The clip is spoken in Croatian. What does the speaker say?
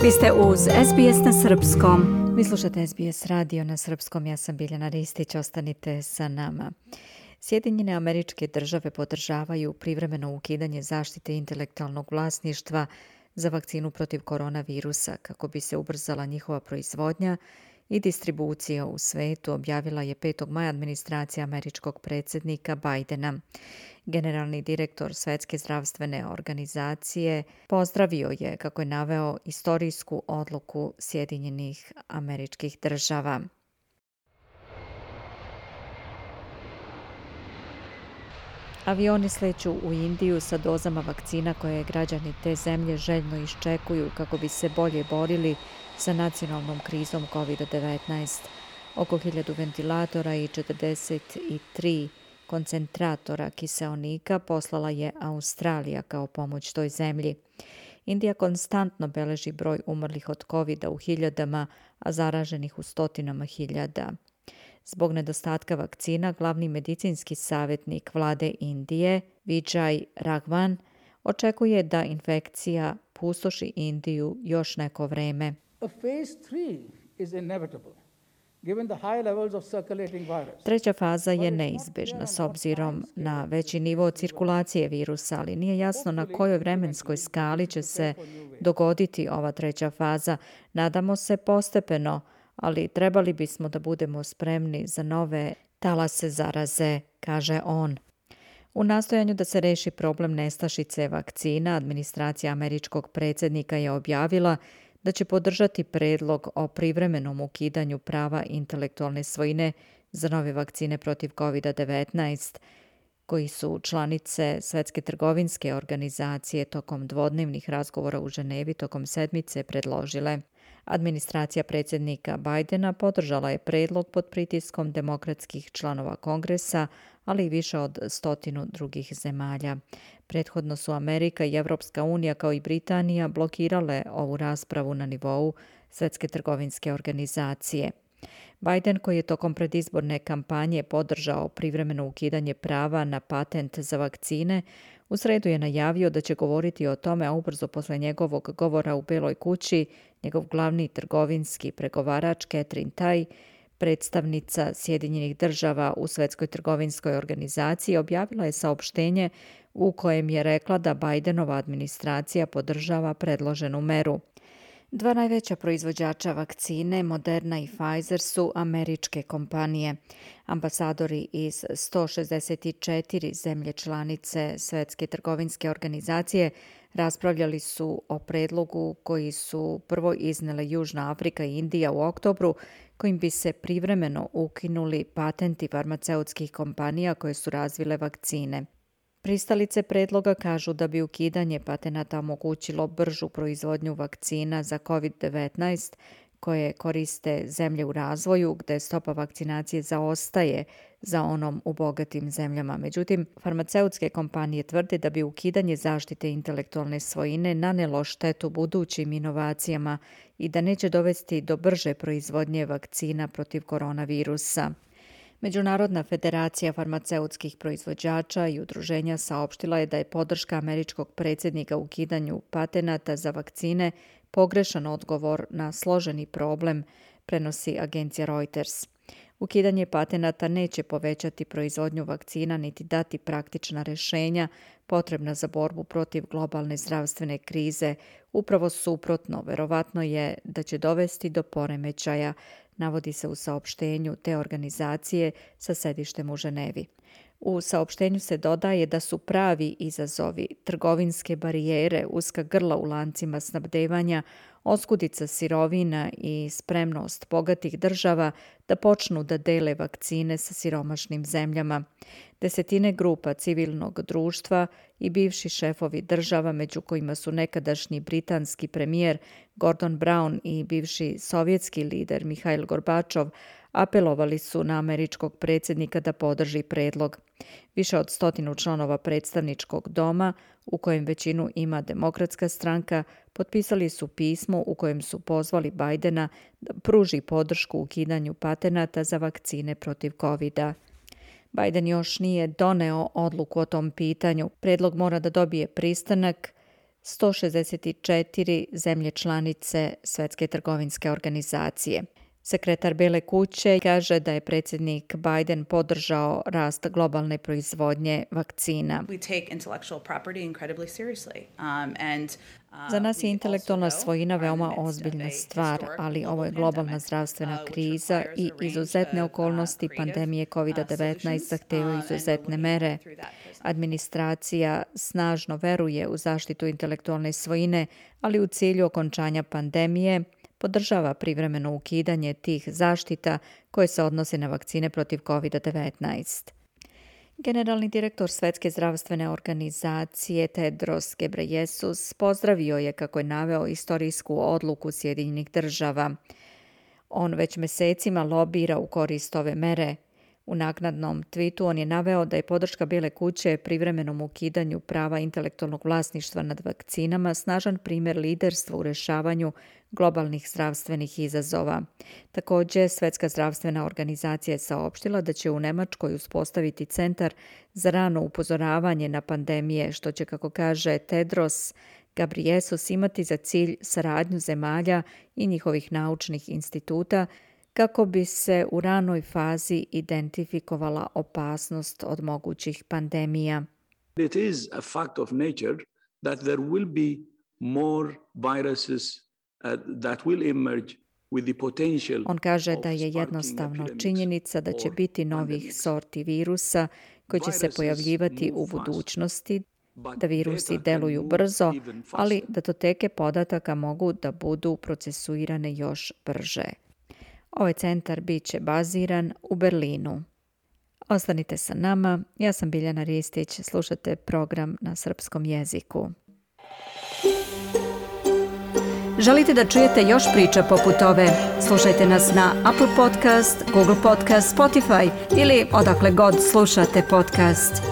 Vi ste uz SBS na srpskom. Vi slušate SBS radio na srpskom. Ja sam Biljana Ristić. Ostanite sa nama. Sjedinjene Američke Države podržavaju privremeno ukidanje zaštite intelektualnog vlasništva za vakcinu protiv koronavirusa kako bi se ubrzala njihova proizvodnja i distribucija u svetu, objavila je 5. maja administracija američkog predsjednika Bidena. Generalni direktor Svjetske zdravstvene organizacije pozdravio je, kako je naveo, istorijsku odluku Sjedinjenih Američkih Država. Avioni sleću u Indiju sa dozama vakcina koje građani te zemlje željno iščekuju kako bi se bolje borili sa nacionalnom krizom COVID-19. Oko 1000 ventilatora i 43 koncentratora kiseonika poslala je Australija kao pomoć toj zemlji. Indija konstantno beleži broj umrlih od COVID-a u hiljadama, a zaraženih u stotinama hiljada. Zbog nedostatka vakcina, glavni medicinski savjetnik vlade Indije, Vijay Raghavan, očekuje da infekcija pustoši Indiju još neko vreme. Treća faza je neizbježna s obzirom na veći nivo cirkulacije virusa, ali nije jasno na kojoj vremenskoj skali će se dogoditi ova treća faza. Nadamo se postepeno, ali trebali bismo da budemo spremni za nove talase zaraze, kaže on. U nastojanju da se reši problem nestašice vakcina, administracija američkog predsjednika je objavila da će podržati predlog o privremenom ukidanju prava intelektualne svojine za nove vakcine protiv COVID-19, koji su članice Svjetske trgovinske organizacije tokom dvodnevnih razgovora u Ženevi tokom sedmice predložile. Administracija predsjednika Bidena podržala je predlog pod pritiskom demokratskih članova Kongresa, ali i više od 100 drugih zemalja. Prethodno su Amerika i Evropska unija kao i Britanija blokirale ovu raspravu na nivou Svjetske trgovinske organizacije. Biden, koji je tokom predizborne kampanje podržao privremeno ukidanje prava na patent za vakcine, u sredu je najavio da će govoriti o tome, a ubrzo posle njegovog govora u Beloj kući, njegov glavni trgovinski pregovarač Katherine Tai, predstavnica Sjedinjenih Država u Svjetskoj trgovinskoj organizaciji, objavila je saopštenje u kojem je rekla da Bidenova administracija podržava predloženu meru. Dva najveća proizvođača vakcine, Moderna i Pfizer, su američke kompanije. Ambasadori iz 164 zemlje članice Svjetske trgovinske organizacije raspravljali su o predlogu koji su prvo iznele Južna Afrika i Indija u oktobru, kojim bi se privremeno ukinuli patenti farmaceutskih kompanija koje su razvile vakcine. Pristalice predloga kažu da bi ukidanje patenata omogućilo bržu proizvodnju vakcina za COVID-19 koje koriste zemlje u razvoju, gde stopa vakcinacije zaostaje za onom u bogatim zemljama. Međutim, farmaceutske kompanije tvrde da bi ukidanje zaštite intelektualne svojine nanelo štetu budućim inovacijama i da neće dovesti do brže proizvodnje vakcina protiv koronavirusa. Međunarodna federacija farmaceutskih proizvođača i udruženja saopštila je da je podrška američkog predsjednika ukidanju patenata za vakcine pogrešan odgovor na složeni problem, prenosi agencija Reuters. Ukidanje patenata neće povećati proizvodnju vakcina niti dati praktična rješenja potrebna za borbu protiv globalne zdravstvene krize. Upravo suprotno, verovatno je da će dovesti do poremećaja, navodi se u saopštenju te organizacije sa sedištem u Ženevi. U saopštenju se dodaje da su pravi izazovi trgovinske barijere, uska grla u lancima snabdevanja, oskudica sirovina i spremnost bogatih država da počnu da dele vakcine sa siromašnim zemljama. Desetine grupa civilnog društva i bivši šefovi država, među kojima su nekadašnji britanski premijer Gordon Brown i bivši sovjetski lider Mihail Gorbačov, apelovali su na američkog predsjednika da podrži predlog. Više od 100 članova predstavničkog doma, u kojem većinu ima Demokratska stranka, potpisali su pismo u kojem su pozvali Bidena da pruži podršku ukidanju patenata za vakcine protiv COVID-a. Biden još nije doneo odluku o tom pitanju. Predlog mora da dobije pristanak 164 zemlje članice Svjetske trgovinske organizacije. Sekretar Bijele kuće kaže da je predsjednik Biden podržao rast globalne proizvodnje vakcina. Za nas je intelektualna svojina veoma ozbiljna stvar, ali ovo je globalna zdravstvena kriza i izuzetne okolnosti pandemije COVID-19 zahtevaju izuzetne mere. Administracija snažno veruje u zaštitu intelektualne svojine, ali u cilju okončanja pandemije podržava privremeno ukidanje tih zaštita koje se odnose na vakcine protiv COVID-19. Generalni direktor Svjetske zdravstvene organizacije Tedros Ghebreyesus pozdravio je, kako je naveo, istorijsku odluku Sjedinjenih država. On već mesecima lobira u korist ove mere. U naknadnom twitu on je naveo da je podrška Bijele kuće privremenom ukidanju prava intelektualnog vlasništva nad vakcinama snažan primjer liderstva u rješavanju globalnih zdravstvenih izazova. Također, Svjetska zdravstvena organizacija je saopštila da će u Njemačkoj uspostaviti centar za rano upozoravanje na pandemije, što će, kako kaže Tedros Ghebreyesus, imati za cilj saradnju zemalja i njihovih naučnih instituta kako bi se u ranoj fazi identifikovala opasnost od mogućih pandemija. It is a fact of nature that there will be more viruses that will emerge with the potential. On kaže da je jednostavno činjenica da će biti novih sorti virusa koji će se pojavljivati u budućnosti, da virusi deluju brzo, ali datoteke podataka mogu da budu procesuirane još brže. Ovaj centar bit će baziran u Berlinu. Ostanite sa nama, ja sam Biljana Ristić, slušate program na srpskom jeziku. Želite da čujete još priča poput ove? Slušajte nas na Apple Podcast, Google Podcast, Spotify ili odakle god slušate podcast.